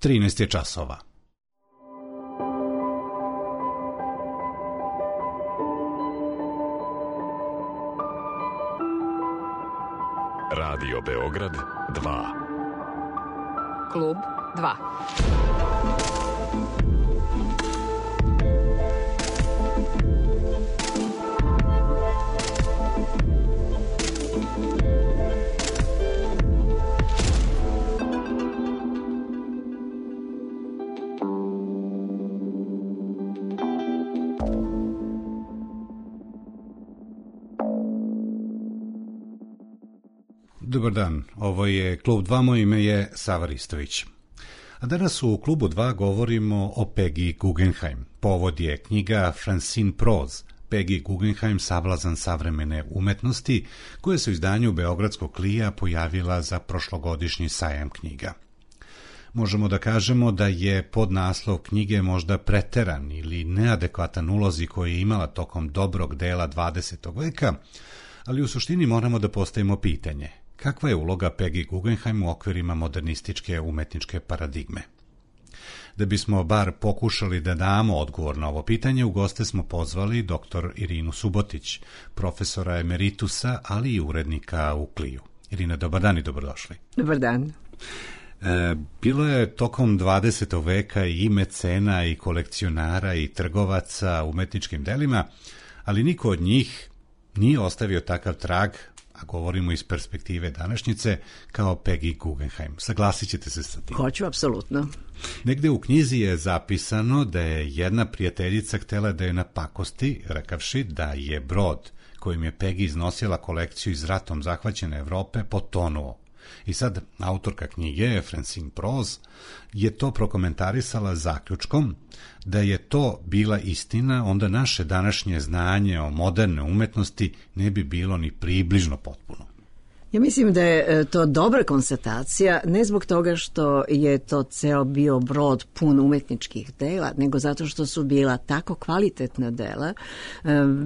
13 je časova. Radio Beograd 2. Klub 2. Dobar dan, ovo je Klub 2, moje ime je Sava Ristović. A danas u Klubu 2 govorimo o Peggy Guggenheim. Povod je knjiga Francine Prose, Peggy Guggenheim, sablazan savremene umetnosti, koja se u izdanju Beogradskog Klija pojavila za prošlogodišnji sajam knjiga. Možemo da kažemo da je podnaslov knjige možda preteran ili neadekvatan ulozi koji je imala tokom dobrog dela 20. veka, ali u suštini moramo da postavimo pitanje: kakva je uloga Peggy Guggenheim u okvirima modernističke umetničke paradigme? Da bismo bar pokušali da damo odgovor na ovo pitanje, u goste smo pozvali dr. Irinu Subotić, profesora emeritusa, ali i urednika u Kliju. Irina, dobar dan i dobrodošli. Dobar dan. Bilo je tokom 20. veka i mecena i kolekcionara i trgovaca umetničkim delima, ali niko od njih nije ostavio takav trag, a govorimo iz perspektive današnjice, kao Peggy Guggenheim. Saglasit ćete se sa tim? Hoću, apsolutno. Negde u knjizi je zapisano da je jedna prijateljica htjela da je napakosti, rekavši da je brod kojim je Peggy iznosila kolekciju iz ratom zahvaćene Evrope potonuo. I sad autorka knjige, Francine Prose, je to prokomentarisala zaključkom da je to bila istina, onda naše današnje znanje o moderne umetnosti ne bi bilo ni približno potpuno. Ja mislim da je to dobra konstatacija, ne zbog toga što je to ceo bio brod pun umetničkih dela, nego zato što su bila tako kvalitetna dela,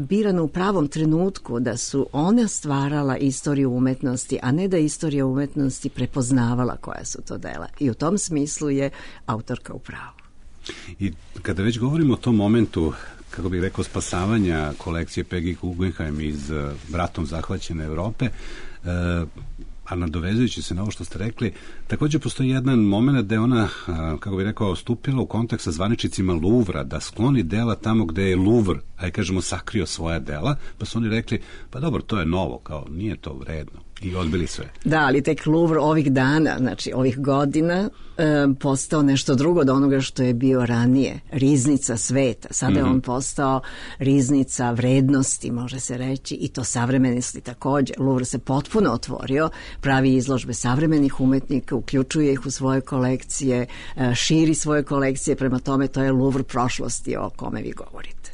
birana u pravom trenutku, da su ona stvarala istoriju umetnosti, a ne da istorija umetnosti prepoznavala koja su to dela. I u tom smislu je autorka u pravu. I kada već govorimo o tom momentu, kako bih rekao, spasavanja kolekcije Peggy Guggenheim iz ratom zahvaćene Evrope, a nadovezujući se na ovo što ste rekli, također postoji jedan moment da je ona, kako bih rekao, stupila u kontakt sa zvaničnicima Louvra, da skloni dela tamo gde je Louvre, ajde kažemo, sakrio svoja dela, pa su oni rekli, pa dobro, to je novo, kao nije to vredno, i odbili sve. Da, ali tek Louvre ovih dana, znači ovih godina, postao nešto drugo od onoga što je bio ranije, riznica sveta. Sada je on postao riznica vrednosti, može se reći, i to savremenosti također. Louvre se potpuno otvorio, pravi izložbe savremenih umetnika, uključuje ih u svoje kolekcije, širi svoje kolekcije, prema tome to je Louvre prošlosti o kome vi govorite.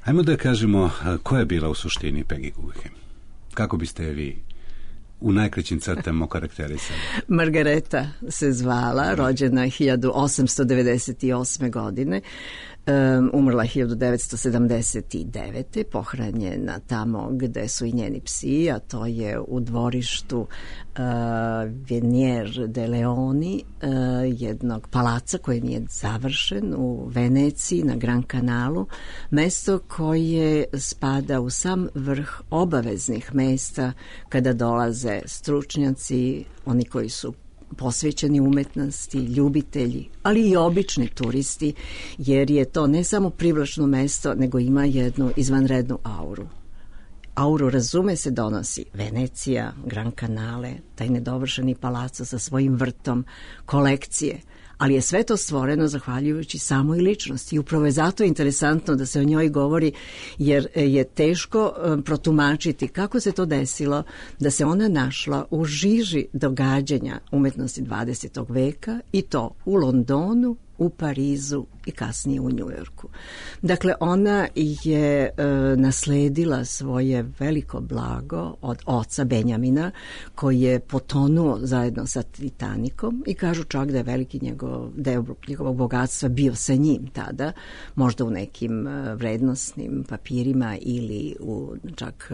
Ajmo da kažemo koja je bila u suštini Peggy Guggenheim. Kako biste je vi u najkraćim crtama okarakterisali? Margareta se zvala, rođena 1898. godine, umrla 1979. pohranjena tamo gde su i njeni psi, a to je u dvorištu Venier de Leoni, jednog palaca koji nije završen u Veneciji na Gran Kanalu, mesto koje spada u sam vrh obaveznih mesta kada dolaze stručnjaci, oni koji su posvećeni umetnosti, ljubitelji, ali i obični turisti, jer je to ne samo privlačno mesto, nego ima jednu izvanrednu auru. Auru, razume se, donosi Venecija, Gran Canale, taj nedovršeni palaco sa svojim vrtom, kolekcije, ali je sve to stvoreno zahvaljujući samoj ličnosti. I upravo je zato interesantno da se o njoj govori, jer je teško protumačiti kako se to desilo da se ona našla u žiži događanja umetnosti 20. veka, i to u Londonu, u Parizu i kasnije u Njujorku. Dakle, ona je nasledila svoje veliko blago od oca Benjamina, koji je potonuo zajedno sa Titanikom i kažu čak da je veliki deo njegovog bogatstva bio sa njim tada, možda u nekim vrednosnim papirima ili u čak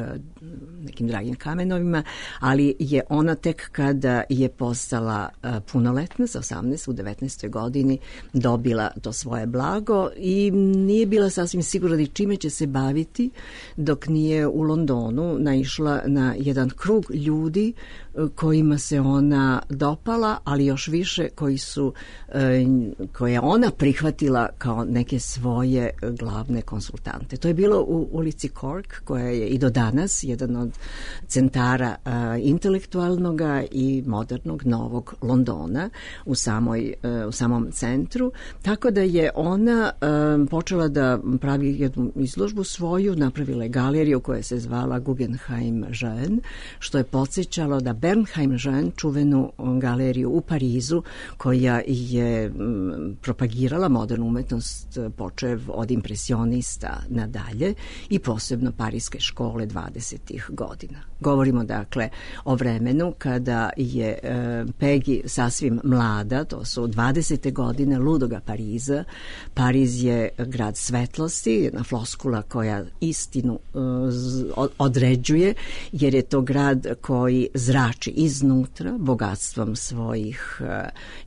nekim dragim kamenovima, ali je ona tek kada je postala punoletna, sa 18 u 19. godini dobila to svoje blago i nije bila sasvim sigurna da čime će se baviti dok nije u Londonu naišla na jedan krug ljudi kojima se ona dopala, ali još više koje ona prihvatila kao neke svoje glavne konsultante. To je bilo u ulici Cork, koja je i do danas jedan od centara intelektualnog i modernog novog Londona u samom centru, tako da je ona počela da pravi jednu izložbu svoju, napravila je galeriju koja se zvala Guggenheim Jeune, što je podsjećalo da Bernheim Jeune, čuvenu galeriju u Parizu, koja je propagirala modernu umetnost počev od impresionista nadalje i posebno parijske škole 20. godina. Govorimo dakle o vremenu kada je Peggy sasvim mlada, to su 20. godine ludoga Pariza. Pariz je grad svetlosti, jedna floskula koja istinu određuje, jer je to grad koji zrači iznutra bogatstvom svojih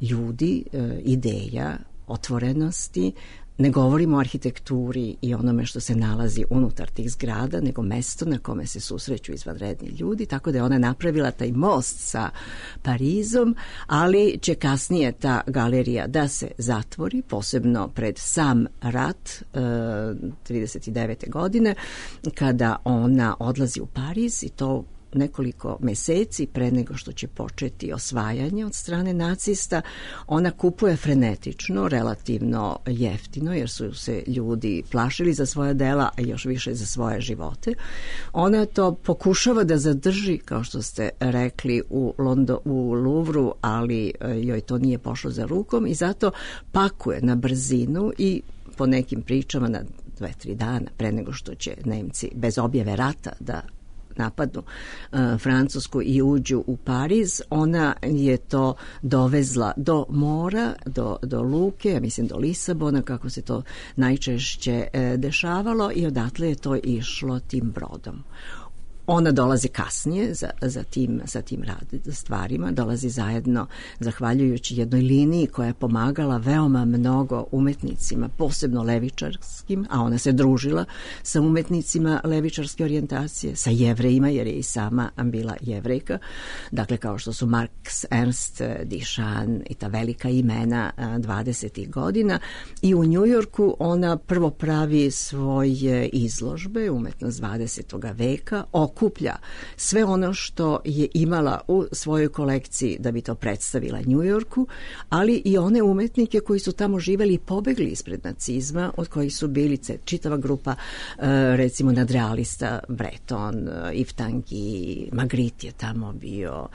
ljudi, ideja, otvorenosti. Ne govorimo o arhitekturi i onome što se nalazi unutar tih zgrada, nego mesto na kome se susreću izvanredni ljudi, tako da je ona napravila taj most sa Parizom, ali će kasnije ta galerija da se zatvori, posebno pred sam rat 39. godine, kada ona odlazi u Pariz i to nekoliko meseci pre nego što će početi osvajanje od strane nacista. Ona kupuje frenetično, relativno jeftino, jer su se ljudi plašili za svoja dela, a još više za svoje živote. Ona to pokušava da zadrži, kao što ste rekli, u Louvru, ali joj to nije pošlo za rukom i zato pakuje na brzinu i po nekim pričama na 2-3 dana pre nego što će Nemci bez objave rata da napadnu Francusku i uđu u Pariz. Ona je to dovezla do mora, do luke, ja mislim do Lisabona, kako se to najčešće dešavalo, i odatle je to išlo tim brodom. Ona dolazi kasnije sa tim stvarima, dolazi zajedno zahvaljujući jednoj liniji koja je pomagala veoma mnogo umetnicima, posebno levičarskim, a ona se družila sa umetnicima levičarske orijentacije, sa Jevrejima, jer je i sama bila Jevrejka, dakle kao što su Marx, Ernst, Duchamp i ta velika imena 20. godina. I u Njujorku ona prvo pravi svoje izložbe, umetnost 20. veka, okuplja sve ono što je imala u svojoj kolekciji da bi to predstavila Njujorku, ali i one umetnike koji su tamo živeli i pobegli ispred nacizma, od kojih su bili čitava grupa, recimo nadrealista, Breton, Yves Tanguy, Magritte je tamo bio,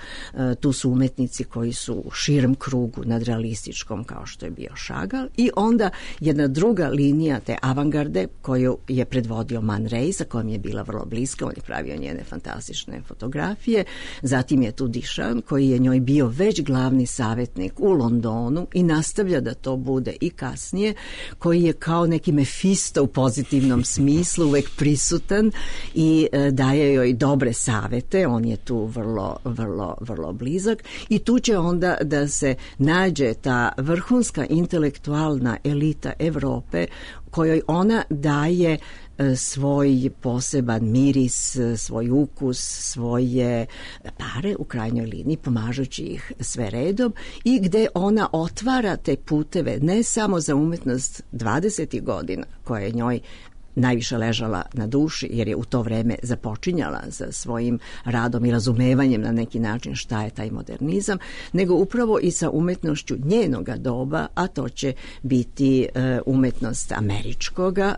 tu su umetnici koji su u širem krugu nadrealističkom, kao što je bio Chagall, i onda jedna druga linija te avangarde koju je predvodio Man Ray, sa kojom je bila vrlo bliska, on je pravio njene fantastične fotografije. Zatim je tu Duchamp, koji je njoj bio već glavni savjetnik u Londonu i nastavlja da to bude i kasnije, koji je kao neki Mefisto u pozitivnom smislu, uvek prisutan i daje joj dobre savete. On je tu vrlo blizak i tu će onda da se nađe ta vrhunska intelektualna elita Evrope, kojoj ona daje svoj poseban miris, svoj ukus, svoje pare u krajnjoj liniji, pomažući ih sve redom, i gde ona otvara te puteve ne samo za umetnost 20. godina, koja je njoj najviše ležala na duši, jer je u to vreme započinjala sa svojim radom i razumevanjem na neki način šta je taj modernizam, nego upravo i sa umetnošću njenoga doba, a to će biti umetnost američkoga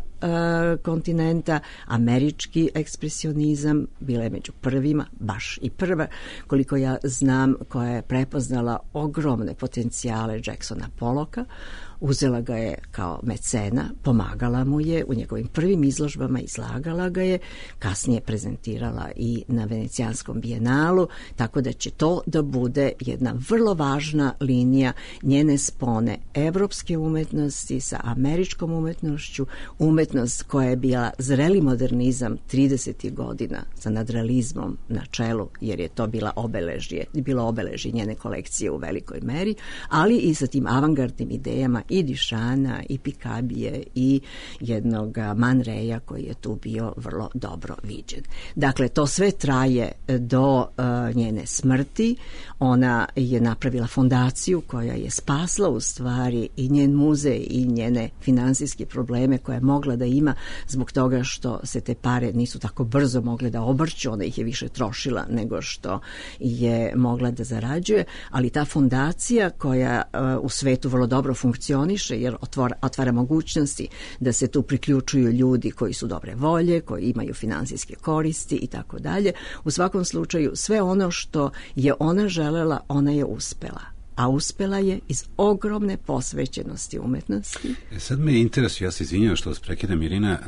kontinenta, američki ekspresionizam, bila je među prvima, baš i prva, koliko ja znam, koja je prepoznala ogromne potencijale Jacksona Pollocka, uzela ga je kao mecena, pomagala mu je u njegovim prvim izložbama, izlagala ga je, kasnije prezentirala i na Venecijanskom bijenalu, tako da će to da bude jedna vrlo važna linija njene spone evropske umetnosti sa američkom umetnošću, umetnost koja je bila zreli modernizam 30. godina sa nadrealizmom na čelu, jer je to bilo obeležje njene kolekcije u velikoj meri, ali i sa tim avangardnim idejama i Dišana i Pikabije i jednog Man Raya koji je tu bio vrlo dobro viđen. Dakle, to sve traje do njene smrti. Ona je napravila fondaciju koja je spasla u stvari i njen muzej i njene finansijske probleme koje je mogla da ima zbog toga što se te pare nisu tako brzo mogle da obrću, ona ih je više trošila nego što je mogla da zarađuje, ali ta fondacija koja u svetu vrlo dobro funkcioniše jer otvara mogućnosti da se tu priključuju ljudi koji su dobre volje, koji imaju finansijske koristi i tako dalje. U svakom slučaju sve ono što je ona želela, ona je uspela. A uspela je iz ogromne posvećenosti umetnosti. Sad me interesuje, ja se izvinjam što vas prekidam, Irina,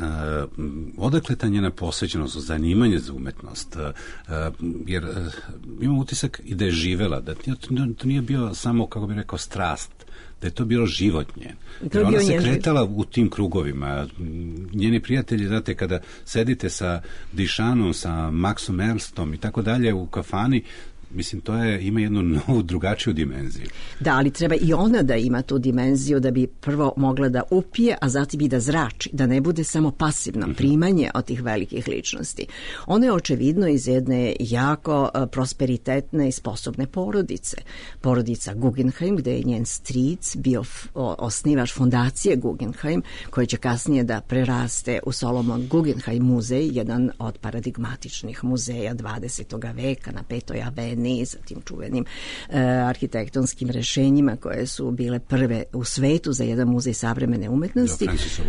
odakle ta njena posvećenost, zanimanje za umetnost? Jer imam utisak i da je živela, da to nije bio samo, kako bih rekao, strast, da je to bilo život njen. Jer ona se kretala u tim krugovima. Njeni prijatelji, znate, kada sedite sa Dišanom, sa Maxom Ernstom i tako dalje u kafani, mislim, to ima jednu novu, drugačiju dimenziju. Da, ali treba i ona da ima tu dimenziju da bi prvo mogla da upije, a zatim i da zrači, da ne bude samo pasivno primanje od tih velikih ličnosti. Ona je očevidno iz jedne jako prosperitetne i sposobne porodice. Porodica Guggenheim, gde je njen stric bio osnivač fondacije Guggenheim, koji će kasnije da preraste u Solomon Guggenheim muzej, jedan od paradigmatičnih muzeja 20. veka na 5. aveni, sa tim čuvenim arhitektonskim rešenjima koje su bile prve u svetu za jedan muzej savremene umetnosti. Francisa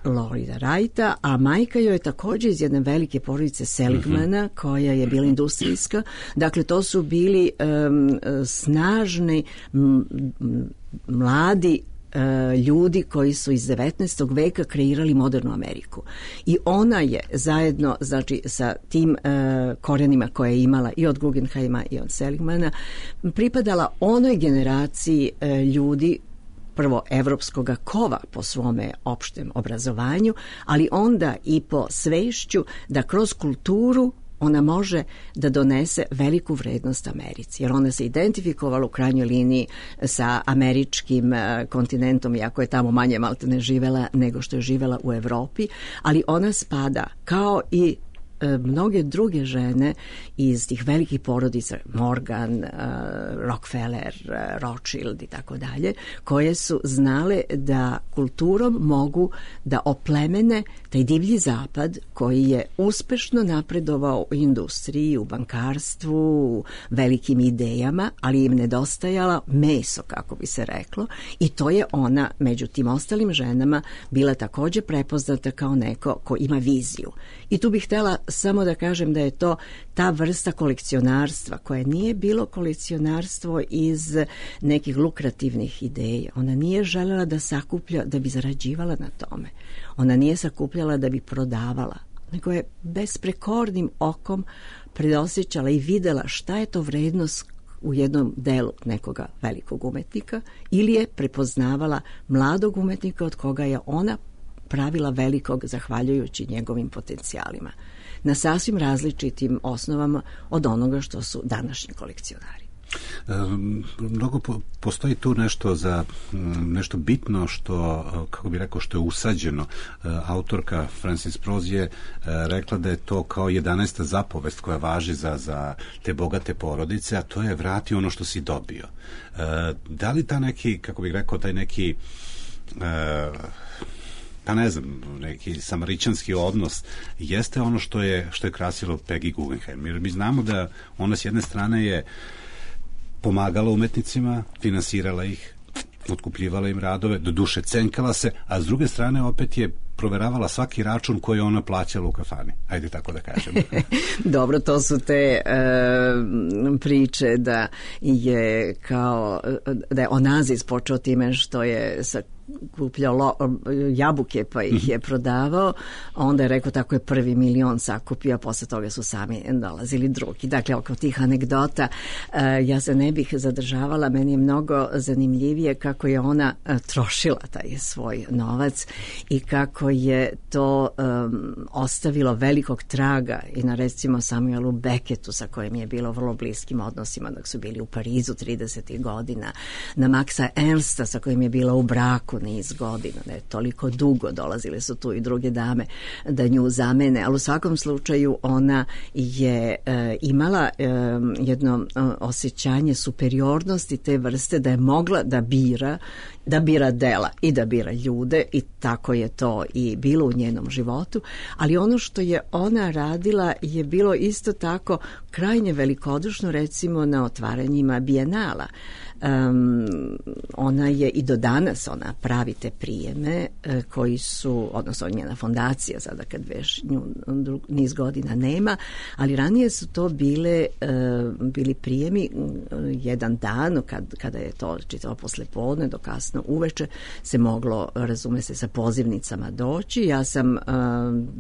Lloyda Wrighta, a majka joj je također iz jedne velike porodice Seligmana koja je bila industrijska. Dakle, to su bili snažni mladi ljudi koji su iz 19. veka kreirali modernu Ameriku. I ona je zajedno, znači, sa tim korenima koje je imala i od Guggenheima i od Seligmana, pripadala onoj generaciji ljudi, prvo evropskoga kova po svome opštem obrazovanju, ali onda i po svešću da kroz kulturu ona može da donese veliku vrednost Americi, jer ona se identifikovala u krajnjoj liniji sa američkim kontinentom, iako je tamo manje maltene živela nego što je živela u Evropi, ali ona spada kao i mnoge druge žene iz tih velikih porodica, Morgan, Rockefeller, Rothschild i tako dalje, koje su znale da kulturom mogu da oplemene taj divlji zapad koji je uspešno napredovao u industriji, u bankarstvu, u velikim idejama, ali im nedostajala meso, kako bi se reklo, i to je ona među tim ostalim ženama bila također prepoznata kao neko ko ima viziju. I tu bih htjela samo da kažem da je to ta vrsta kolekcionarstva koje nije bilo kolekcionarstvo iz nekih lukrativnih ideja. Ona nije željela da sakuplja da bi zarađivala na tome. Ona nije sakupljala da bi prodavala, nego je besprekornim okom predosjećala i videla šta je to vrednost u jednom delu nekoga velikog umetnika ili je prepoznavala mladog umetnika od koga je ona pravila velikog zahvaljujući njegovim potencijalima. Na sasvim različitim osnovama od onoga što su današnji kolekcionari. Mnogo postoji tu nešto bitno što, kako bih rekao, što je usađeno. Autorka Francis Prose je rekla da je to kao 11. zapovest koja važi za te bogate porodice, a to je vrati ono što si dobio. Da li ta neki, kako bih rekao, taj neki pa ne znam, neki samaričanski odnos jeste ono što je krasilo Peggy Guggenheim. Jer mi znamo da ona s jedne strane je pomagala umetnicima, finansirala ih, otkupljivala im radove, do duše cenkala se, a s druge strane opet je proveravala svaki račun koji ona plaćala u kafani. Ajde tako da kažem. Dobro, to su te priče da je kao da je Onazis počeo time što je kupljao jabuke pa ih je prodavao, onda je rekao tako je prvi milion sakupio, a posle toga su sami dolazili drugi. Dakle, oko tih anegdota ja se ne bih zadržavala, meni je mnogo zanimljivije kako je ona trošila taj svoj novac i kako je to ostavilo velikog traga i na recimo Samuelu Becketu sa kojim je bilo vrlo bliskim odnosima dok su bili u Parizu 30. godina, na Maxa Ernsta sa kojim je bila u braku niz godina, ne toliko dugo, dolazile su tu i druge dame da nju zamene, ali u svakom slučaju ona je imala jedno osjećanje superiornosti te vrste da je mogla da bira dela i da bira ljude i tako je to i bilo u njenom životu, ali ono što je ona radila je bilo isto tako krajnje velikodušno, recimo na otvaranjima bijenala. Ona je i do danas, ona pravi te prijeme koji su, odnosno njena fondacija sada kad već nju niz godina nema, ali ranije su to bili prijemi jedan dan kada je to čitavo poslepodne do kasno uveče se moglo, razume se, sa pozivnicama doći. Ja sam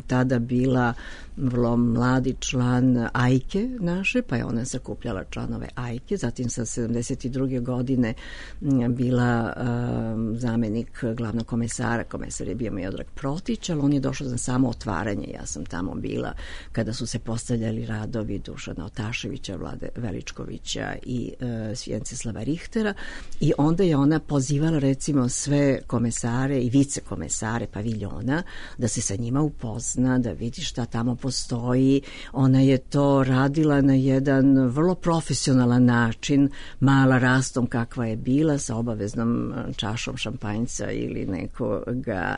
tada bila vrlo mladi član Ajke naše, pa je ona sakupljala članove Ajke, zatim sa 72. godine bila zamenik glavnog komesara, komesar je bio Miodrag Protić, ali on je došao za samo otvaranje, ja sam tamo bila kada su se postavljali radovi Dušana Otaševića, Vlade Veličkovića i Vjenceslava Richtera i onda je ona pozivala recimo sve komesare i vicekomesare paviljona da se sa njima upozna, da vidi šta tamo postoji. Ona je to radila na jedan vrlo profesionalan način, mala rastom kakva je bila, sa obaveznom čašom šampanjca ili nekoga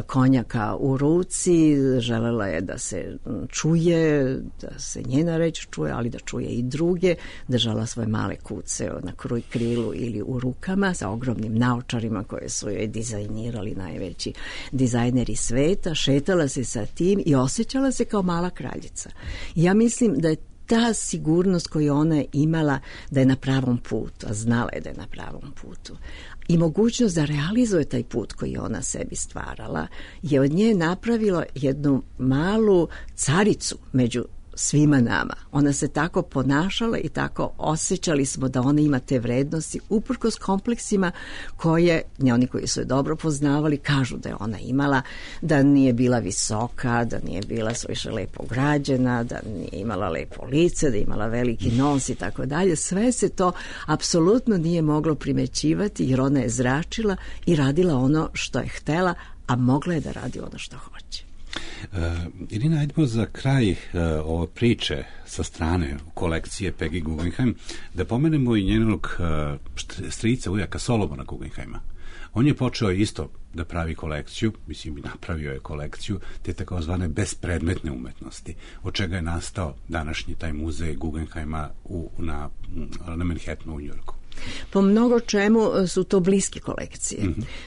konjaka u ruci. Želela je da se čuje, da se njena reč čuje, ali da čuje i druge, držala svoje male kuce na krilu ili u rukama sa ogromnim naočarima koje su joj dizajnirali najveći dizajneri sveta, šetala se sa tim i osjećala se kao mala kraljica. Ja mislim da je ta sigurnost koju ona je imala da je na pravom putu, a znala je da je na pravom putu, i mogućnost da realizuje taj put koji ona sebi stvarala, je od nje napravilo jednu malu caricu među svima nama. Ona se tako ponašala i tako osjećali smo da ona ima te vrednosti uprkos kompleksima koje oni koji su je dobro poznavali kažu da je ona imala, da nije bila visoka, da nije bila suviše lepo građena, da nije imala lepo lice, da je imala veliki nos i tako dalje. Sve se to apsolutno nije moglo primećivati jer ona je zračila i radila ono što je htela, a mogla je da radi ono što hoće. Irina, ajdemo za kraj ove priče sa strane kolekcije Peggy Guggenheim da pomenemo i njenog strica, ujaka Solomona Guggenheima. On je počeo isto da pravi kolekciju, mislim i napravio je kolekciju te takozvane bespredmetne umetnosti, od čega je nastao današnji taj muzej Guggenheima na Manhattanu u Njujorku. Po mnogo čemu su to bliske kolekcije,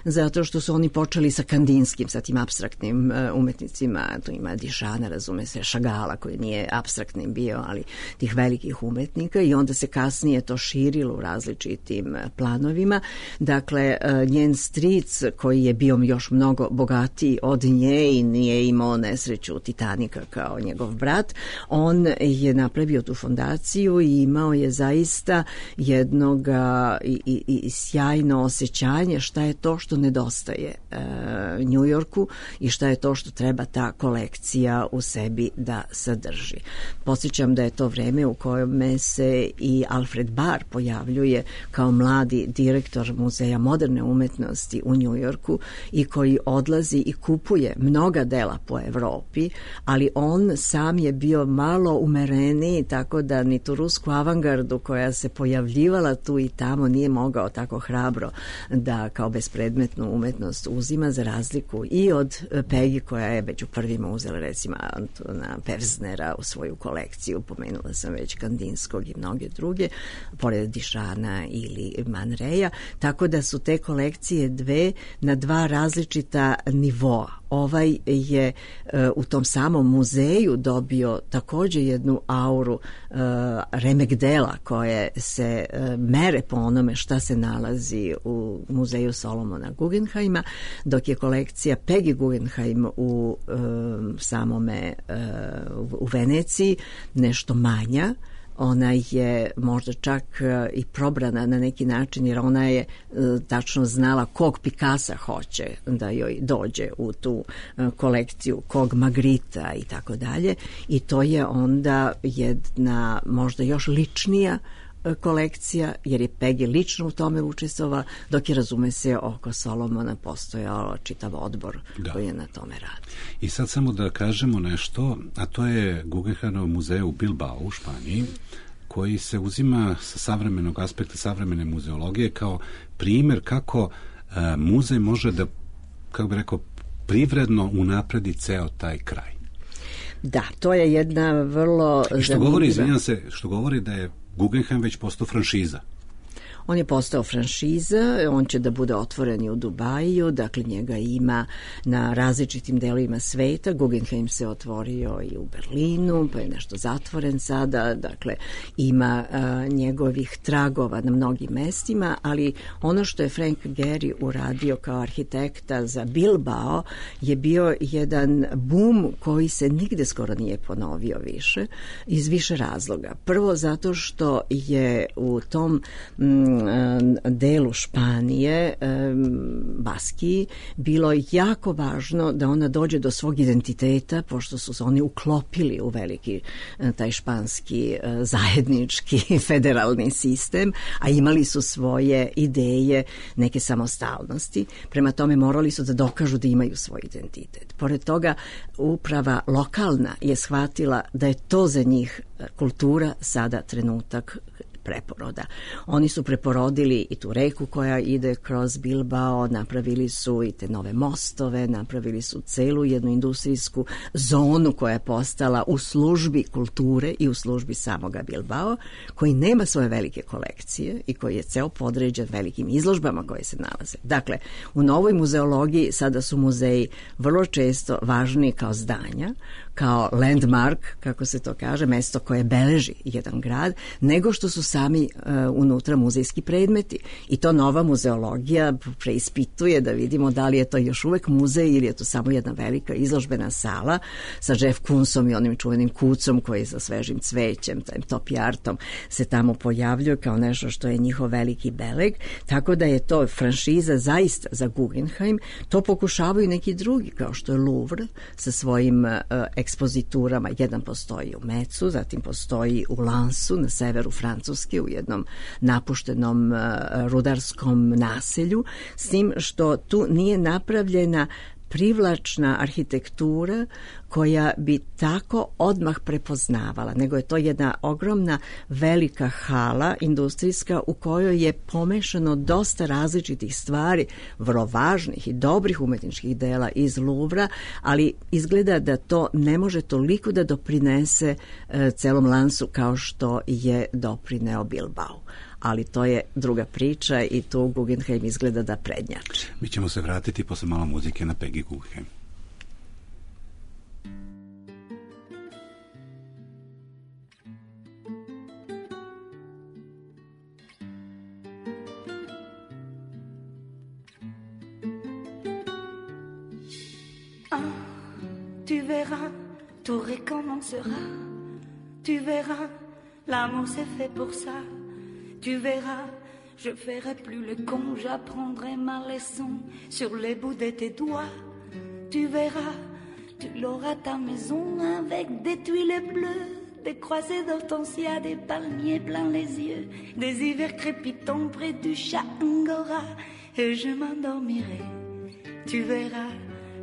zato što su oni počeli sa kandinskim, sa tim apstraktnim umetnicima, tu ima Dišana, razume se, Šagala koji nije apstraktnim bio, ali tih velikih umetnika, i onda se kasnije to širilo u različitim planovima. Dakle, njen stric koji je bio još mnogo bogatiji od nje i nije imao nesreću Titanika kao njegov brat, on je napravio tu fondaciju i imao je zaista jednog i sjajno osjećanje šta je to što nedostaje Njujorku i šta je to što treba ta kolekcija u sebi da sadrži. Podsjećam da je to vreme u kojem se i Alfred Barr pojavljuje kao mladi direktor Muzeja moderne umetnosti u Njujorku i koji odlazi i kupuje mnoga dela po Evropi, ali on sam je bio malo umereniji, tako da ni tu rusku avangardu koja se pojavljivala tu i tamo nije mogao tako hrabro da kao bespredmetnu umetnost uzima, za razliku i od Peggy koja je među prvima uzela recimo Antona Pevznera u svoju kolekciju, pomenula sam već Kandinskog i mnoge druge, pored Dišana ili Man Raya, tako da su te kolekcije dve na dva različita nivoa ovaj je u tom samom muzeju dobio također jednu auru remek dela koje se mere po onome šta se nalazi u muzeju Solomona Guggenheima, dok je kolekcija Peggy Guggenheim u samome u Veneciji nešto manja. Ona je možda čak i probrana na neki način, jer ona je tačno znala kog Picassa hoće da joj dođe u tu kolekciju, kog Magrita i tako dalje. I to je onda jedna možda još ličnija kolekcija, jer je Peggy lično u tome učestvovala, dok je, razume se, oko Solomona postojao čitav odbor koji je na tome radi. I sad samo da kažemo nešto, a to je Guggenheimov muzej u Bilbao u Španiji, koji se uzima sa savremenog aspekta savremene muzeologije kao primjer kako muzej može da, kako bi rekao, privredno unapredi ceo taj kraj. Da, to je jedna vrlo što govori da je Guggenheim već postao franšiza. On je postao franšiza, on će da bude otvoren i u Dubaju, dakle njega ima na različitim delovima sveta. Guggenheim se otvorio i u Berlinu, pa je nešto zatvoren sada, dakle ima njegovih tragova na mnogim mestima, ali ono što je Frank Gehry uradio kao arhitekta za Bilbao je bio jedan bum koji se nigde skoro nije ponovio više, iz više razloga. Prvo zato što je u tom delu Španije, Baskiji, bilo jako važno da ona dođe do svog identiteta, pošto su se oni uklopili u veliki taj španski zajednički federalni sistem, a imali su svoje ideje neke samostalnosti. Prema tome morali su da dokažu da imaju svoj identitet. Pored toga, uprava lokalna je shvatila da je to za njih kultura sada trenutak preporoda. Oni su preporodili i tu reku koja ide kroz Bilbao, napravili su i te nove mostove, napravili su celu jednu industrijsku zonu koja je postala u službi kulture i u službi samoga Bilbao, koji nema svoje velike kolekcije i koji je ceo podređen velikim izložbama koje se nalaze. Dakle, u novoj muzeologiji sada su muzeji vrlo često važni kao zdanja, kao landmark, kako se to kaže, mesto koje beleži jedan grad, nego što su sami unutra muzejski predmeti. I to nova muzeologija preispituje da vidimo da li je to još uvek muzej ili je to samo jedna velika izložbena sala sa Jeff Koonsom i onim čuvenim kucom koji sa svežim cvećem, tajim top artom se tamo pojavljuje kao nešto što je njihov veliki beleg. Tako da je to franšiza zaista za Guggenheim. To pokušavaju neki drugi, kao što je Louvre sa svojim ekspoziturama. Jedan postoji u Metzu, zatim postoji u Lansu na severu Francuske u jednom napuštenom rudarskom naselju, s tim što tu nije napravljena privlačna arhitektura koja bi tako odmah prepoznavala, nego je to jedna ogromna velika hala industrijska u kojoj je pomešano dosta različitih stvari, vrlo važnih i dobrih umetničkih dela iz Louvra, ali izgleda da to ne može toliko da doprinese celom Lansu kao što je doprineo Bilbao. Ali to je druga priča i tu Guggenheim izgleda da prednjači. Mi ćemo se vratiti posle malo muzike na Peggy Guggenheim. Tu verras, tout recommencera. Tu verras, l'amour c'est fait pour ça. Tu verras, je ferai plus le con, j'apprendrai ma leçon sur les bouts de tes doigts. Tu verras, tu l'auras ta maison avec des tuiles bleues, des croisées d'hortensia, des palmiers plein les yeux, des hivers crépitants près du chat Angora, et je m'endormirai. Tu verras,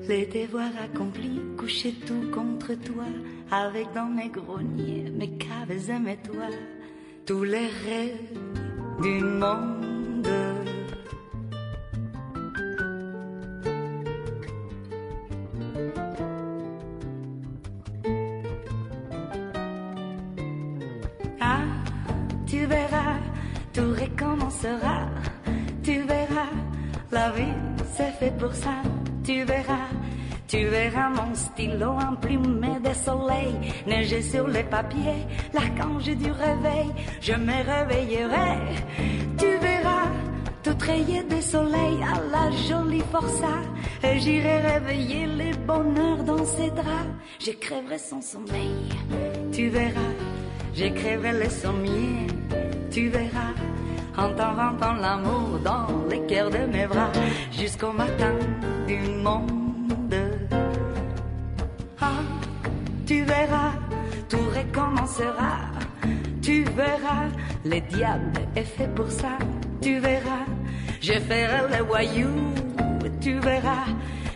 l'été voir accompli, coucher tout contre toi, avec dans mes greniers, mes caves et mes toits, tous les rêves du monde. Ah, tu verras, tout recommencera. Tu verras, la vie c'est fait pour ça. Tu verras, Tu verras mon stylo emplumé de soleil, neiger sur les papiers, l'archange du réveil. Je me réveillerai, tu verras, tout rayé de soleil à la jolie forçat. Et j'irai réveiller les bonheurs dans ses draps. J'écrirai son sommeil, tu verras, j'écrirai les sommiers, tu verras. En t'inventant l'amour dans les cœurs de mes bras, jusqu'au matin du monde. Ah, tu verras, tout recommencera. Tu verras, le diable est fait pour ça. Tu verras, je ferai le voyou. Tu verras,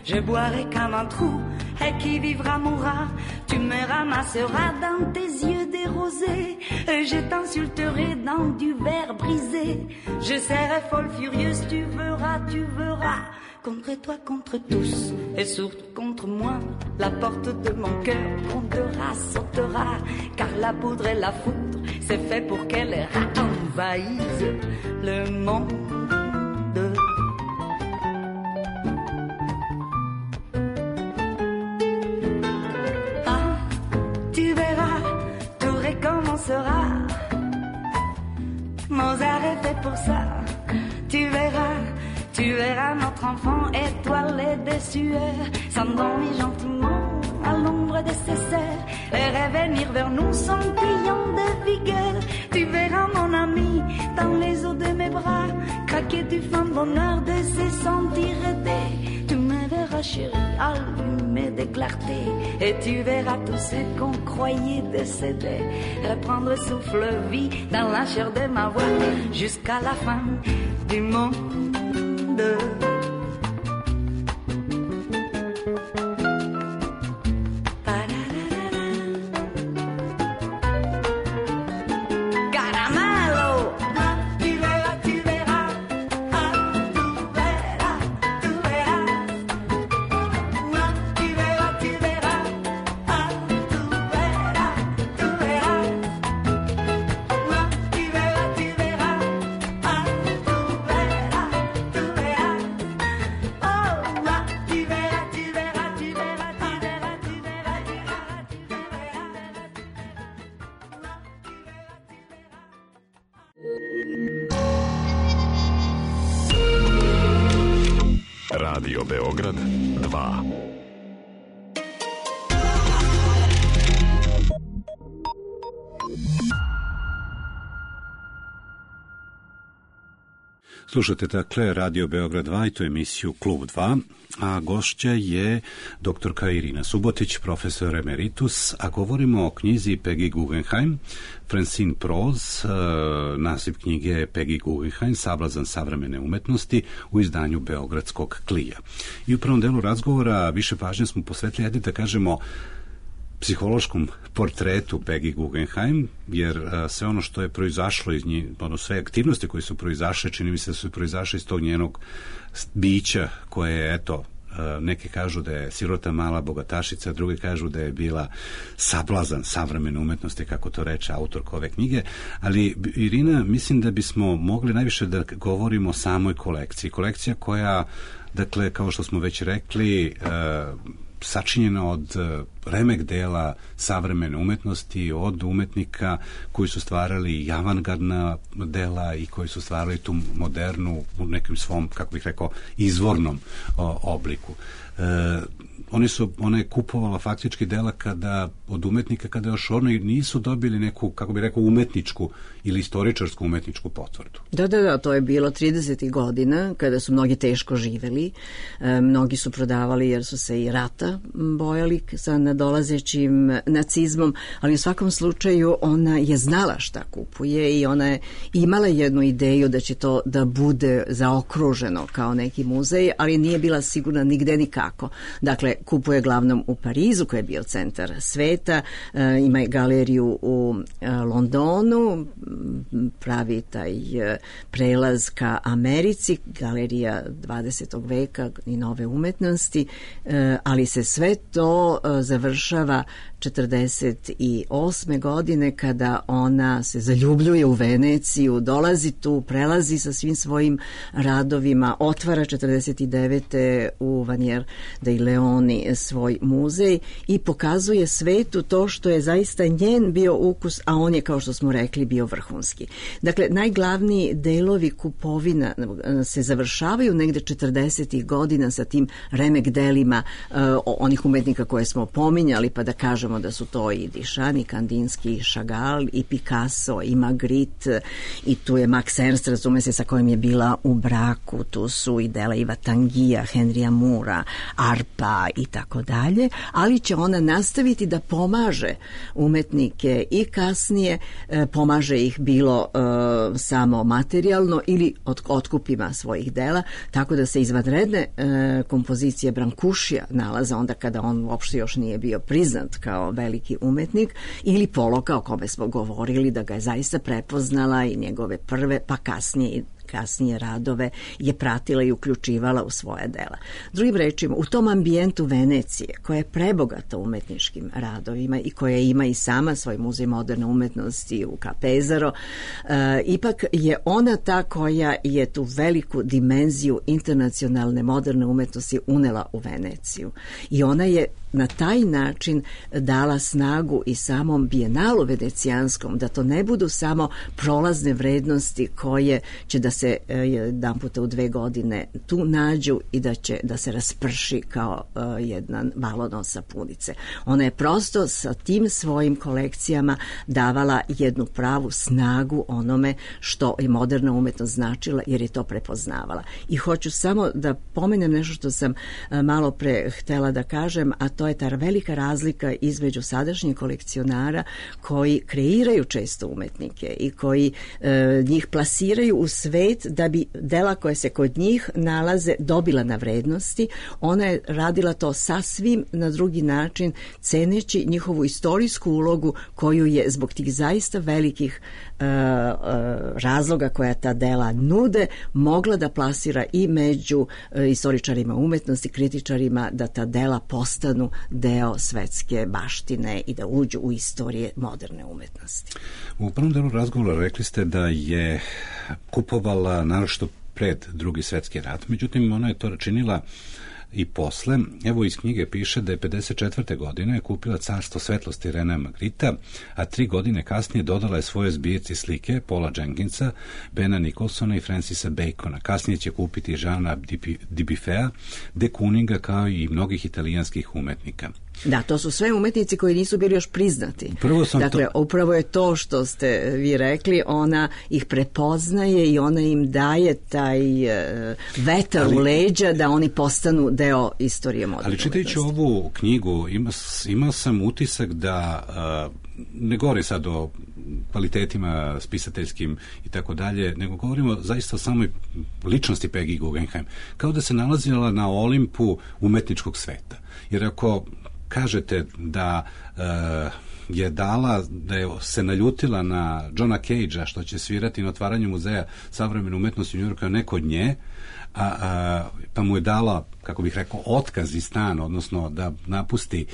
je boirai comme un trou. Et qui vivra mourra. Tu me ramasseras dans tes yeux des rosés. Et je t'insulterai dans du verre brisé. Je serai folle furieuse, tu verras, tu verras. Contre toi, contre tous, et surtout contre moi. La porte de mon cœur grondera, sautera. Car la poudre et la foudre, c'est fait pour qu'elle envahisse le monde. Ah, tu verras, tout recommencera. Mozart est fait pour ça, tu verras. Tu verras notre enfant étoilé de sueur, s'endormir gentiment à l'ombre de ses sœurs et revenir vers nous sans criant de vigueur. Tu verras mon ami dans les eaux de mes bras, craquer du fin bonheur de se sentir aidé. Tu me verras chérie, allumé de clarté, et tu verras tout ce qu'on croyait décédé reprendre souffle vie dans la chair de ma voix jusqu'à la fin du monde. Radio Beograd 2. Slušate dakle Radio Beograd 2 i to emisiju Klub 2, a gošća je doktorka Irina Subotić, profesor emeritus, a govorimo o knjizi Peggy Guggenheim, Francine Prose, naziv knjige je Peggy Guggenheim, Sablazan savremene umetnosti u izdanju Beogradskog Klija. I u prvom delu razgovora više pažnje smo posvetili, ajde da kažemo, psihološkom portretu Peggy Guggenheim, jer sve ono što je proizašlo iz nje, sve aktivnosti koje su proizašle, čini mi se da su proizašle iz tog njenog bića koje je, eto, neki kažu da je sirota mala bogatašica, drugi kažu da je bila sablazan savremene umetnosti, kako to reče autorka ove knjige, ali Irina, mislim da bismo mogli najviše da govorimo o samoj kolekciji. Kolekcija koja, dakle, kao što smo već rekli, sačinjena od remek dela savremene umetnosti, od umetnika koji su stvarali avangardna dela i koji su stvarali tu modernu u nekim svom, kako bih rekao, izvornom obliku. Ona je kupovala faktički dela od umetnika kada još oni nisu dobili neku, kako bih rekao, umetničku ili istoričarsku umetničku potvrdu. Da, to je bilo 30. godina kada su mnogi teško živeli, mnogi su prodavali jer su se i rata bojali sa nadolazećim nacizmom, ali u svakom slučaju ona je znala šta kupuje i ona je imala jednu ideju da će to da bude zaokruženo kao neki muzej, ali nije bila sigurna nigde nikako. Dakle, kupuje glavnom u Parizu, koji je bio centar sveta, ima i galeriju u Londonu, pravi taj prelaz ka Americi, galerija 20. veka i nove umetnosti, ali se sve to završava 1948. godine kada ona se zaljubljuje u Veneciju, dolazi tu, prelazi sa svim svojim radovima, otvara 1949. u Vanier dei Leoni svoj muzej i pokazuje svetu to što je zaista njen bio ukus, a on je, kao što smo rekli, bio vrhunski. Dakle, najglavniji delovi kupovina se završavaju negde 40. godina sa tim remek delima onih umetnika koje smo pominjali, pa da kažemo da su to i Duchamp, i Kandinsky, i Chagall, i Picasso, i Magritte, i tu je Max Ernst, razume se, sa kojim je bila u braku, tu su i dela Iva Tangija, Henrya Moora, Arpa i tako dalje, ali će ona nastaviti da pomaže umetnike i kasnije, pomaže ih bilo samo materijalno ili otkupima svojih dela, tako da se izvanredne kompozicije Brancušija nalaze onda kada on uopšte još nije bio priznat kao veliki umetnik, ili Poloka, o kome smo govorili, da ga je zaista prepoznala i njegove prve, pa kasnije radove je pratila i uključivala u svoje dela. Drugim rečima, u tom ambijentu Venecije, koja je prebogata umetničkim radovima i koja ima i sama svoj muzej moderne umetnosti u Pesaro, ipak je ona ta koja je tu veliku dimenziju internacionalne moderne umetnosti unela u Veneciju. I ona je na taj način dala snagu i samom bijenalu venecijanskom, da to ne budu samo prolazne vrednosti koje će da se jedan puta u 2 godine tu nađu i da se rasprši kao jedan balon od sapunice. Ona je prosto sa tim svojim kolekcijama davala jednu pravu snagu onome što je moderna umetnost značila, jer je to prepoznavala. I hoću samo da pomenem nešto što sam malo pre htela da kažem, a to je ta velika razlika između sadašnjih kolekcionara koji kreiraju često umetnike i koji njih plasiraju u svet da bi dela koje se kod njih nalaze dobila na vrednosti. Ona je radila to sasvim na drugi način, ceneći njihovu istorijsku ulogu koju je zbog tih zaista velikih razloga koja ta dela nude mogla da plasira i među istoričarima umetnosti, kritičarima, da ta dela postanu deo svetske baštine i da uđu u istorije moderne umetnosti. U prvom delu razgovora rekli ste da je kupovala naročito pred Drugi svetski rat, međutim ona je to činila i posle. Evo iz knjige piše da je 54. godine kupila Carstvo svetlosti Renea Magritta, a 3 godine kasnije dodala je svoje zbirci slike Paula Jenkinsa, Bena Nicholsona i Francisa Bacona. Kasnije će kupiti Jeana Dubuffeta, de Kooninga, kao i mnogih italijanskih umetnika. Da, to su sve umetnici koji nisu bili još priznati. Dakle, upravo je to što ste vi rekli, ona ih prepoznaje i ona im daje taj vetar u leđa da oni postanu deo istorije moderne umetnosti. Ali čitajući ovu knjigu imao sam utisak da ne govori sad o kvalitetima spisateljskim i tako dalje, nego govorimo zaista o samoj ličnosti Peggy Guggenheim. Kao da se nalazila na Olimpu umetničkog sveta. Jer ako kažete da je dala, da je se naljutila na Johna Cagea što će svirati na otvaranju muzeja savremene umetnosti u Njujorku, neko od nje, pa mu je dala, kako bih rekao, otkaz iz stana, odnosno da napusti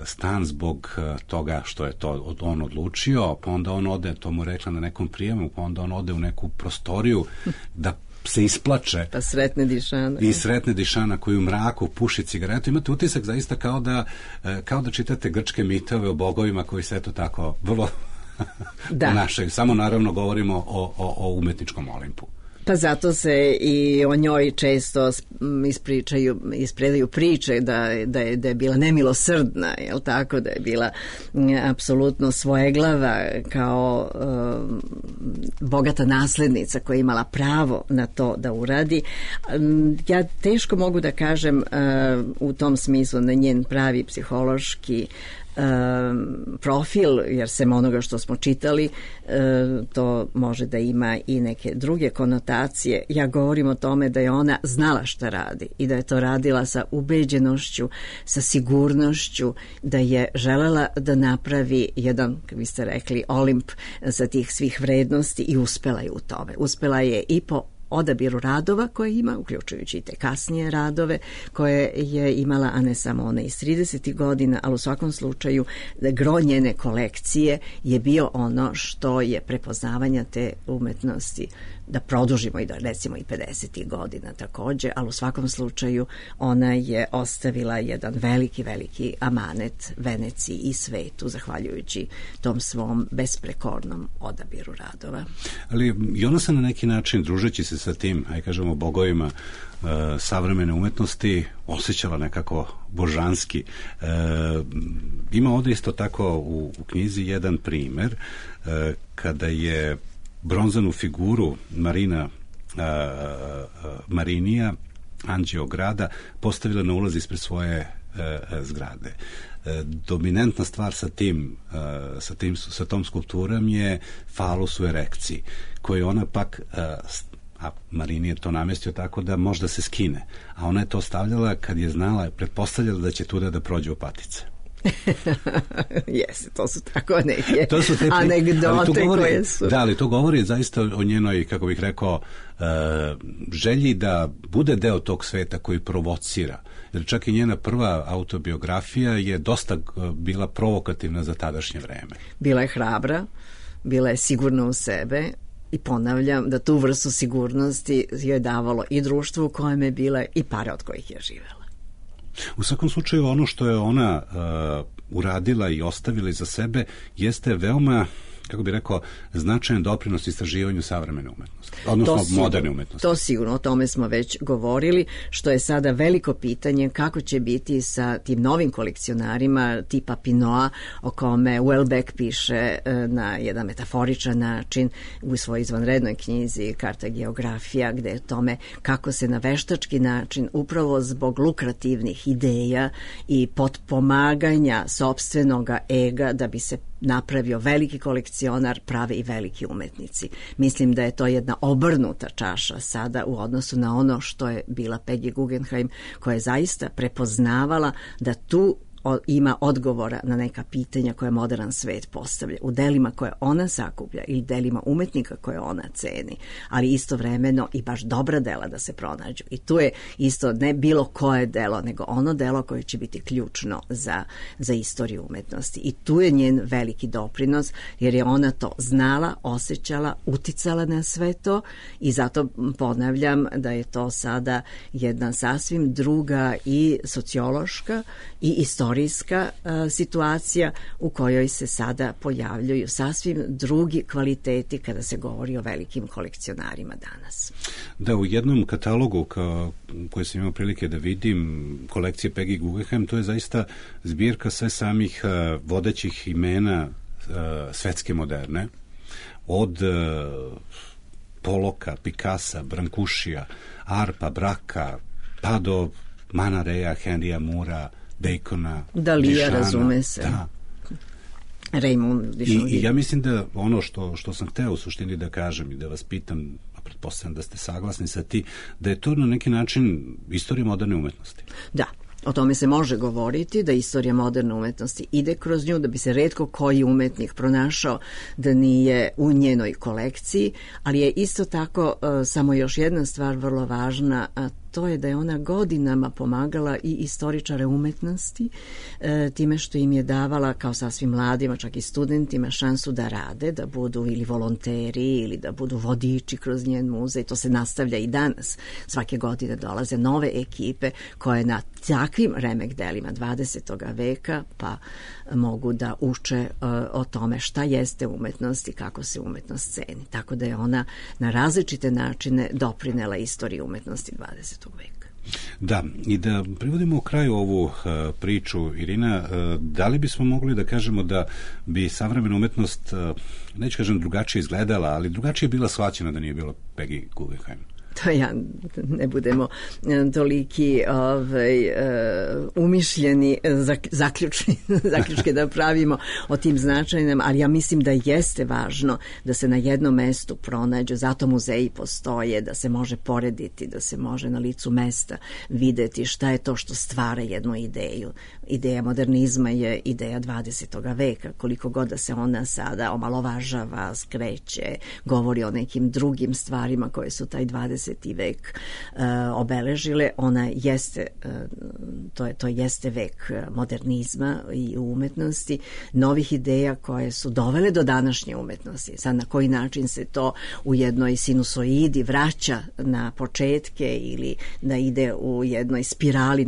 stan zbog toga što je to on odlučio, pa onda on ode, to mu rekla na nekom prijemu, pa onda on ode u neku prostoriju da se isplače. Pa sretne Dišana. I sretne Dišana koji u mraku puši cigaretu. Imate utisak zaista kao da čitate grčke mitove o bogovima koji se eto tako vrlo ponašaju. Samo naravno govorimo o umetničkom Olimpu. Pa zato se i o njoj često ispredaju priče da je bila nemilosrdna, jel tako, da je bila apsolutno svojeglava kao bogata naslednica koja je imala pravo na to da uradi. Ja teško mogu da kažem u tom smislu na njen pravi psihološki profil, jer sem onoga što smo čitali, to može da ima i neke druge konotacije. Ja govorim o tome da je ona znala šta radi i da je to radila sa ubeđenošću, sa sigurnošću, da je želela da napravi jedan, kako biste rekli, Olimp sa tih svih vrednosti i uspela je u tome. Uspela je i po odabiru radova koje ima, uključujući i te kasnije radove koje je imala, a ne samo ona iz 30. godina, ali u svakom slučaju gro njene kolekcije je bio ono što je prepoznavanja te umetnosti, da produžimo i da recimo i 50. godina takođe, ali u svakom slučaju ona je ostavila jedan veliki amanet Veneciji i svetu, zahvaljujući tom svom besprekornom odabiru radova. Ali i ona se na neki način, družeći se sa tim, aj kažemo, bogovima savremene umetnosti, osjećala nekako božanski. Ima ovde isto tako u knjizi jedan primer kada je bronzanu figuru Marinija, anđeo grada, postavila na ulaz ispred svoje zgrade. Dominantna stvar sa tom skulpturom je falus u erekciji, koju ona pak, a Marini je to namestio tako da možda se skine, a ona je to stavljala kad je znala, pretpostavljala da će tuda da prođe u patice. Jeste, to su tako neke anegdote koje su... Da, ali to govori zaista o njenoj, kako bih rekao, želji da bude deo tog sveta koji provocira. Jer čak i njena prva autobiografija je dosta bila provokativna za tadašnje vreme. Bila je hrabra, bila je sigurna u sebe i ponavljam da tu vrstu sigurnosti joj davalo i društvo u kojem je bila i pare od kojih je živela. U svakom slučaju ono što je ona uradila i ostavila iza sebe jeste veoma, kako bih rekao, značajan doprinos istraživanju savremene umetnosti, odnosno moderne umetnosti. To sigurno, o tome smo već govorili, što je sada veliko pitanje kako će biti sa tim novim kolekcionarima tipa Pinoa, o kome Welbeck piše na jedan metaforičan način u svojoj izvanrednoj knjizi Karta geografija, gde je tome kako se na veštački način, upravo zbog lukrativnih ideja i potpomaganja sopstvenoga ega da bi se napravio veliki kolekcionar, prave i veliki umetnici. Mislim da je to jedna obrnuta čaša sada u odnosu na ono što je bila Peggy Guggenheim, koja je zaista prepoznavala da tu ima odgovora na neka pitanja koje modern svet postavlja u delima koje ona sakuplja ili delima umetnika koje ona ceni, ali istovremeno i baš dobra dela da se pronađu. I tu je isto ne bilo koje delo, nego ono delo koje će biti ključno za istoriju umetnosti. I tu je njen veliki doprinos, jer je ona to znala, osjećala, uticala na sve to i zato ponavljam da je to sada jedna sasvim druga i sociološka i istorijska situacija u kojoj se sada pojavljuju sasvim drugi kvaliteti kada se govori o velikim kolekcionarima danas. Da, u jednom katalogu koji sam imao prilike da vidim, kolekcije Peggy Guggenheim, to je zaista zbirka sve samih vodećih imena svetske moderne, od Poloka, Picassa, Brancusia, Arpa, Braka, pa do Mana Rea, Henrya Moora, Bacona, Dalija, razume se. Da. Raymond I ja mislim da ono što sam hteo u suštini da kažem i da vas pitam, a pretpostavljam da ste saglasni sa ti, da je to na neki način istorija moderne umetnosti. Da. O tome se može govoriti, da istorija moderne umetnosti ide kroz nju, da bi se retko koji umetnik pronašao da nije u njenoj kolekciji, ali je isto tako samo još jedna stvar vrlo važna, a to je da je ona godinama pomagala i istoričare umetnosti time što im je davala kao sasvim mladima, čak i studentima, šansu da rade, da budu ili volonteri ili da budu vodiči kroz njen muzej. To se nastavlja i danas. Svake godine dolaze nove ekipe koje na takvim remek delima 20. veka pa mogu da uče o tome šta jeste umetnost i kako se umetnost ceni. Tako da je ona na različite načine doprinela istoriji umetnosti 20. veka. Da, i da privodimo u kraju ovu priču, Irina, da li bismo mogli da kažemo da bi savremena umetnost, neću kažem drugačije izgledala, ali drugačije bila shvaćena da nije bilo Peggy Guggenheim? to ja ne budemo toliki umišljeni zaključke da pravimo o tim značajnim, ali ja mislim da jeste važno da se na jednom mestu pronađu, zato muzeji postoje, da se može porediti, da se može na licu mesta videti šta je to što stvara jednu ideju. Ideja modernizma je ideja 20. veka, koliko god da se ona sada omalovažava, skreće, govori o nekim drugim stvarima koje su taj 20. vek obeležile, ona jeste, to jeste vek modernizma i umetnosti, novih ideja koje su dovele do današnje umetnosti. Sad na koji način se to u jednoj sinusoidi vraća na početke ili da ide u jednoj spirali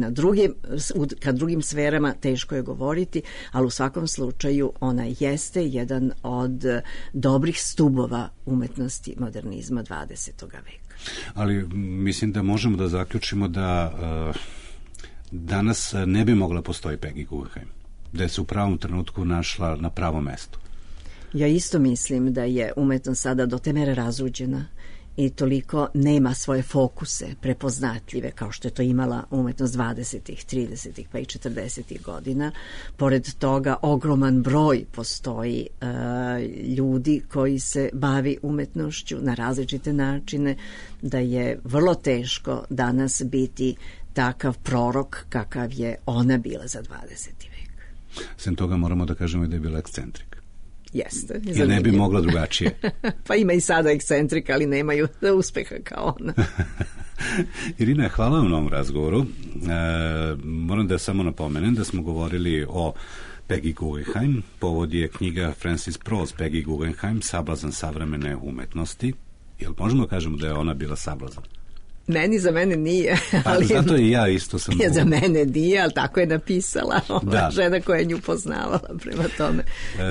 ka drugim sferama, teško je govoriti, ali u svakom slučaju ona jeste jedan od dobrih stubova umetnosti modernizma 20. veka. Ali mislim da možemo da zaključimo da danas ne bi mogla postoji Peggy Guggenheim, da je se u pravom trenutku našla na pravom mestu. Ja isto mislim da je umetnost sada do te mere razuđena i toliko nema svoje fokuse prepoznatljive kao što je to imala umetnost 20. 30. pa i 40. godina. Pored toga ogroman broj postoji ljudi koji se bavi umetnošću na različite načine, da je vrlo teško danas biti takav prorok kakav je ona bila za 20. vek. Sem toga moramo da kažemo da je bila ekscentrik. Jeste. Ja ne bi mogla drugačije. Pa ima i sada ekscentrika, ali nemaju uspeha kao ona. Irina, hvala vam na ovom razgovoru. Moram da samo napomenem da smo govorili o Peggy Guggenheim. Povod je knjiga Francis Prose, Peggy Guggenheim, Sablazan savremene umetnosti. Jel možemo kažemo da je ona bila sablazan? Za mene nije. Ali zato i ja isto sam... Za mene nije, ali tako je napisala žena koja je nju poznavala, prema tome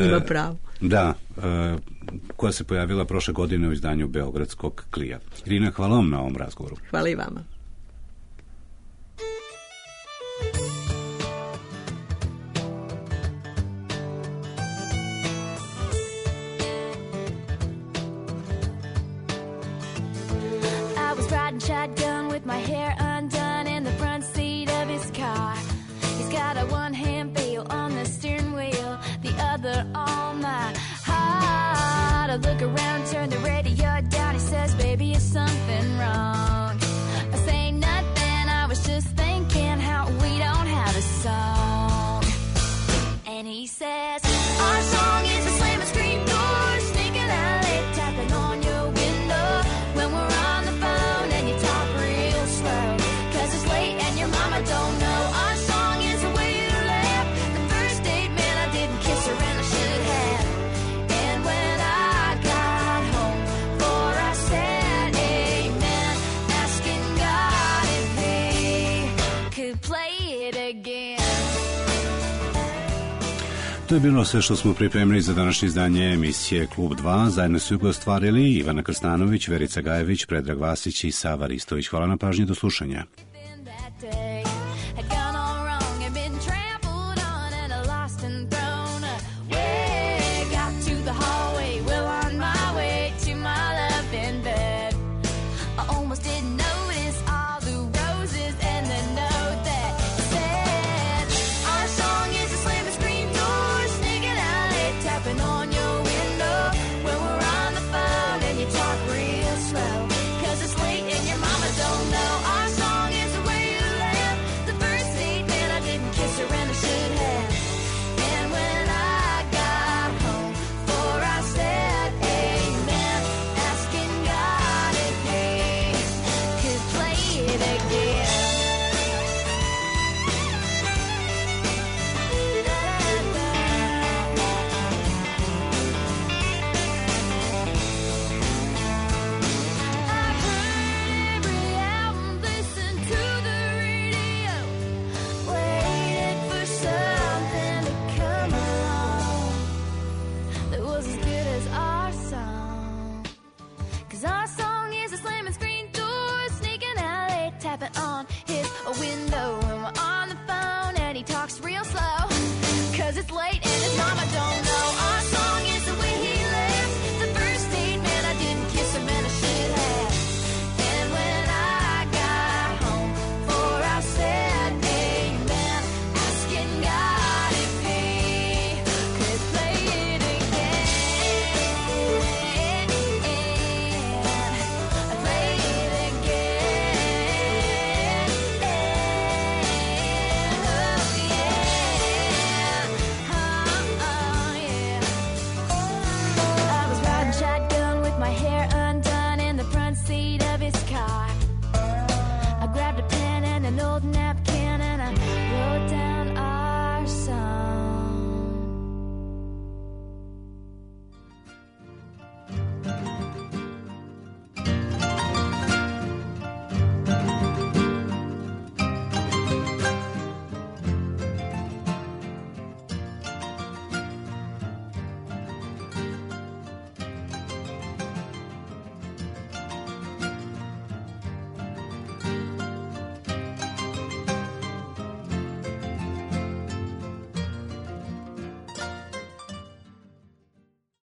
ima pravo. Da, koja se pojavila prošle godine u izdanju Beogradskog Klija. Irina, hvala vam na ovom razgovoru. Hvala i vama. Shotgun with my hair undone in the front seat of his car. He's got a one-hand feel on the steering wheel, the other on my heart. I look around, turn the radio down. He says, baby, is something wrong? I say nothing, I was just thinking how we don't have a song. And he says, our song is a slam and scream door, sneaking out late, tapping on your window when we're on the phone. I don't know, our song is the way you laugh. The first date, man, I didn't kiss her and I should have. And when I got home, for I said amen, asking God if he could play it again. To je bilo sve što smo pripremili za današnje izdanje emisije Klub 2. Zajedno su ga ostvarili Ivana Krstanović, Verica Gajević, Predrag Vasić i Sava Ristović. Hvala na pažnji, do slušanja. Had gone all wrong and been trampled on and lost and thrown away. Got to the hallway, well on my way to my loving bed. I almost didn't notice all the roses and the note that said, our song is a slam and scream door, sneaking out late, tapping on your window when we're on the phone and you talk real slow, 'cause it's late and your mama don't know. Our song is the way you laugh. The first date, man, I didn't kiss her and I should have. And when I got home, for I said amen, asking God if he could play it again. I heard every album, listened to the radio, waited for something to come along that was as good as our song. 'Cause our song is a slamming screen door, sneaking out late, tapping on his window when we're on the phone and he talks real slow, 'cause it's late and his mama don't know. Our song is the way he laughs. The first date, man, I didn't kiss him and I should have. And when old napkin.